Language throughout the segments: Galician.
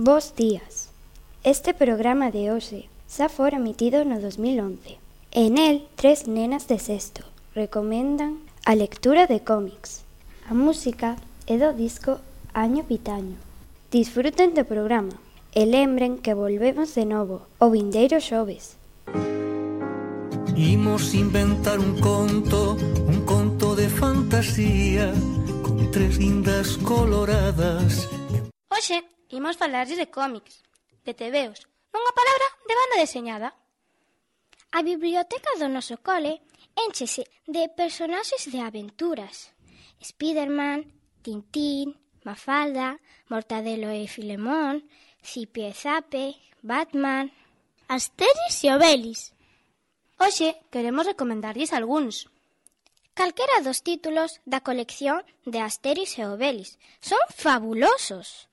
Bos días. Este programa de hoxe xa fora emitido no 2011. En el, 3 nenas de sexto recomendan a lectura de cómics. A música é do disco Año Pitaño. Disfruten do programa e lembren que volvemos de novo o vindeiro xoves. Imos inventar un conto de fantasía con 3 guindas coloradas. Hoxe imos falarles de cómics, de tebeos, nunha palabra de banda deseñada. A biblioteca do noso cole énchese de personaxes de aventuras. Spiderman, Tintín, Mafalda, Mortadelo e Filemón, Zipi e Zape, Batman, Asterix e Obelix. Hoxe queremos recomendarlles algúns. Calquera dos títulos da colección de Asterix e Obelix son fabulosos.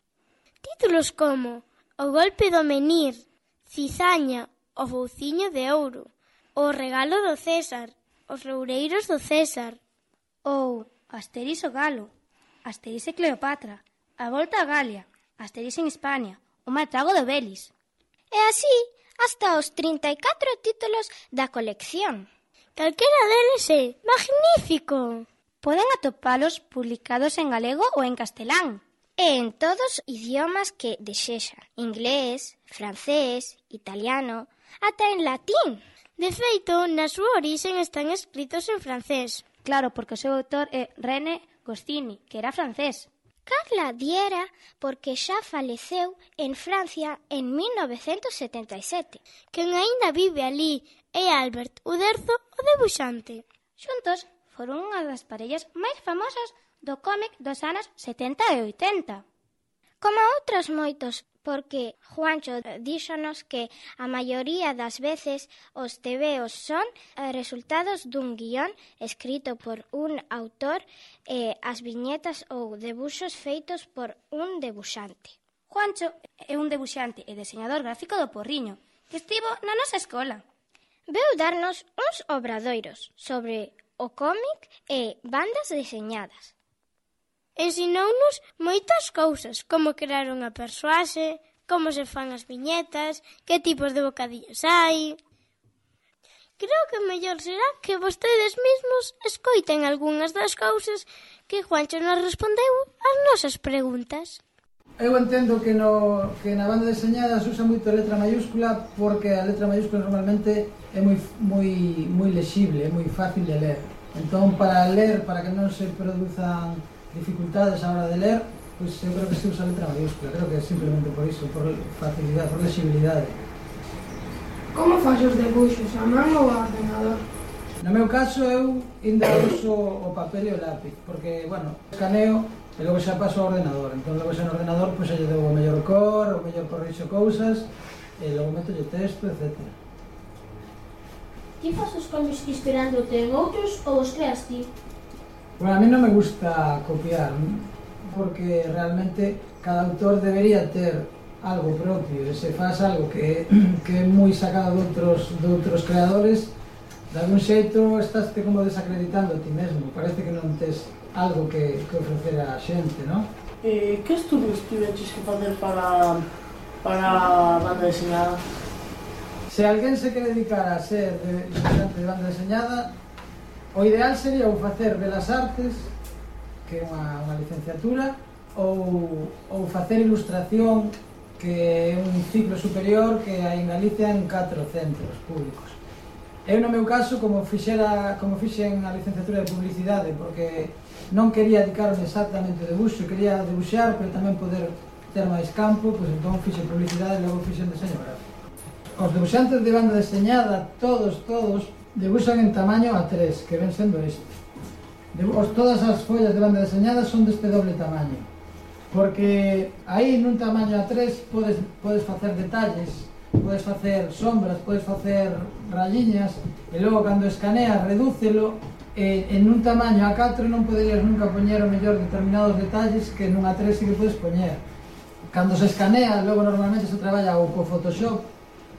Títulos como O golpe do menir, Cizaña, O fouciño de ouro, O regalo do César, Os loureiros do César, ou Asterix o galo, Asterix e Cleopatra, A volta a Galia, Asterix en Hispania, O mal trago de Obelix. E así hasta os 34 títulos da colección. Calquera deles é magnífico. Poden atopalos publicados en galego ou en castelán. E en todos os idiomas que desexan. Inglés, francés, italiano, ata en latín. De feito, na súa origen están escritos en francés. Claro, porque o seu autor é René Goscinny, que era francés. Carla diera porque xa faleceu en Francia en 1977. Quen aínda vive ali é Albert Uderzo, o debuxante. Xuntos foron unha das parellas máis famosas do cómic dos anos 70 e 80. Como outros moitos, porque Juancho díxonos que a maioría das veces os tebeos son resultados dun guión escrito por un autor e as viñetas ou debuxos feitos por un debuxante. Juancho é un debuxante e deseñador gráfico do Porriño, que estivo na nosa escola. Veu darnos uns obradoiros sobre o cómic e bandas deseñadas. Ensinounos moitas cousas, como crear unha persoaxe, como se fan as viñetas, que tipos de bocadillos hai. Creo que mellor será que vostedes mesmos escoiten algunhas das cousas que Juancho nos respondeu ás nosas preguntas. Eu entendo que na banda deseñada se usa moito a letra mayúscula porque a letra mayúscula normalmente é moi lexible, é moi fácil de ler. Entón, para ler, para que non se produzan dificultades a hora de ler, pois eu creo que se usa a letra mayúscula. Creo que é simplemente por iso, por facilidade, por lexibilidade. Como faz os debuxos, a man ou a ordenador? No meu caso, eu ainda uso o papel e o lápiz, porque, bueno, escaneo e logo xa paso ao ordenador. Entón, logo xa no ordenador, pois xa lle dou o mellor cor, o mellor corrixo cousas, e logo meto o texto, etc. Ti faz os cambios inspirándote en outros ou os creas ti? Bueno, a mí non me gusta copiar, porque realmente cada autor debería ter algo propio, e se faz algo que é moi sacado de outros creadores, de algún xeito estás como desacreditando a ti mesmo, parece que non tes algo que ofrecer a xente, non? Que estudios tiveches que facer para a banda deseñada? Se alguén se quere dedicar a ser dibujante de banda deseñada, o ideal sería ou facer Belas Artes, que é unha licenciatura, ou facer Ilustración, que é un ciclo superior que hai en Galicia en 4 centros públicos. Eu, no meu caso, como fixen a licenciatura de Publicidade, porque non quería dedicarme exactamente ao debuxo, quería debuxar, pero tamén poder ter máis campo, pois entón fixen Publicidade e logo fixen Deseño Gráfico. Os debuxantes de banda deseñada, todos, debuxan en tamaño A3, que ven sendo isto. Todas as follas de banda deseñada son deste doble tamaño, porque aí nun tamaño A3 podes facer detalles, podes facer sombras, podes facer rayiñas, e logo cando escaneas redúcelo, e en un tamaño A4 non poderías nunca poñer o mellor determinados detalles que nun A3 sí que podes poñer. Cando se escanea, logo normalmente se traballa ou co Photoshop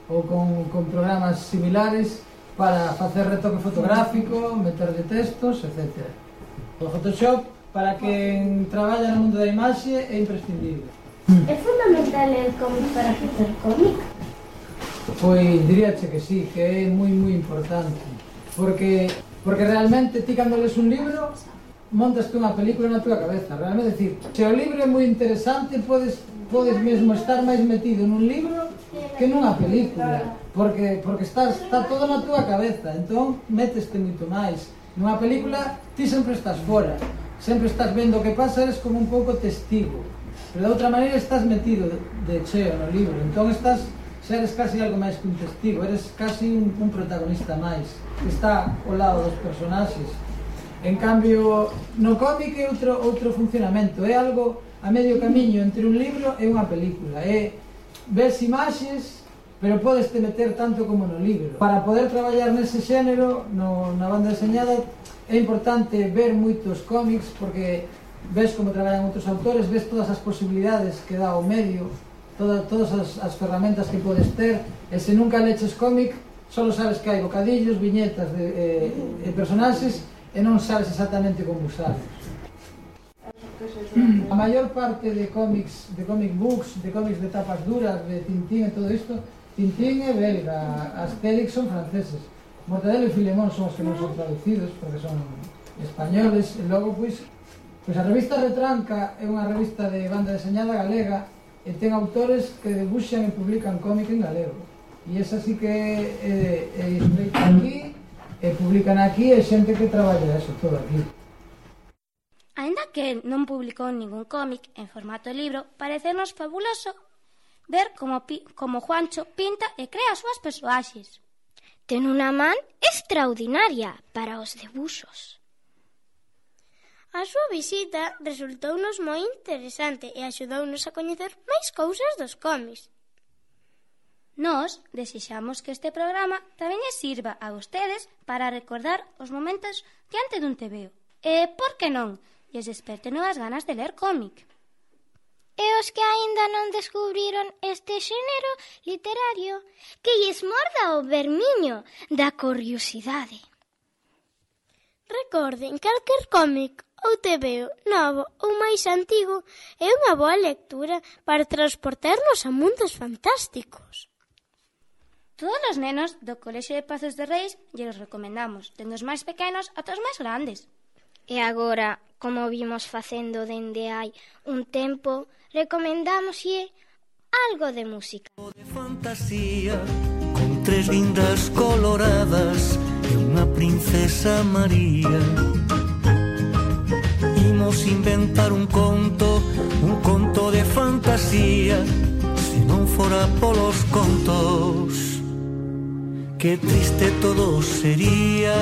ou con programas similares para facer retoque fotográfico, meterlle textos, etc. O Photoshop, para quen traballa no mundo da imaxe, é imprescindible. É fundamental ler cómic para facer cómic? Pois diríache que sí, que é moi importante. Porque realmente ti cando lees un libro montaste unha película na túa cabeza. Realmente, decir, se o libro é moi interesante, podes mesmo estar máis metido nun libro que nunha película. Porque está todo na túa cabeza, entón meteste moito máis. Nunha película ti sempre estás fora, sempre estás vendo o que pasa, eres como un pouco testigo. Pero de outra maneira estás metido de cheo no libro, entón eres casi algo máis que un testigo, eres casi un protagonista máis, que está ao lado dos personaxes. En cambio, no cómic é outro funcionamento, é algo a medio camiño entre un libro e unha película. Ves imaxes, pero podes te meter tanto como no libro. Para poder traballar nese xénero, na banda deseñada, é importante ver moitos cómics, porque ves como traballan outros autores, ves todas as posibilidades que dá o medio, todas as ferramentas que podes ter, e se nunca leches cómic, só sabes que hai bocadillos, viñetas e personaxes, e non sabes exactamente como usarlos. A maior parte de cómics, de comic books, de cómics de tapas duras, de Tintín e todo isto, Tintín é belga, Asterix son franceses, Mortadelo e Filemón son os que non son traducidos, porque son españoles, e logo, pois a revista Retranca é unha revista de banda deseñada galega e ten autores que debuxan e publican cómic en galego. E esa sí que é escrita aquí, e publican aquí, e xente que traballa eso todo aquí. Aínda que non publicou ningún cómic en formato libro, parecernos fabuloso ver como Juancho pinta e crea as súas persoaxes. Ten unha man extraordinaria para os debuxos. A súa visita resultounos moi interesante e axudounos a coñecer máis cousas dos cómics. Nós desexamos que este programa tamén lles sirva a vostedes para recordar os momentos diante dun tebeo. E, por que non, lles desperte novas ganas de ler cómic. E os que aínda non descubriron este xénero literario, que lles morda o vermiño da curiosidade. Recorden, calquer cómic ou tebeo novo ou máis antigo é unha boa lectura para transportarnos a mundos fantásticos. Todos os nenos do Colexio de Pazos de Reis lles recomendamos, dende os máis pequenos ata os máis grandes. E agora, como vimos facendo dende hai un tempo, recomendámoslle algo de música. De fantasía, con tres guindas coloradas e unha princesa María. Imos inventar un conto de fantasía, se non fora polos contos, que triste todo sería.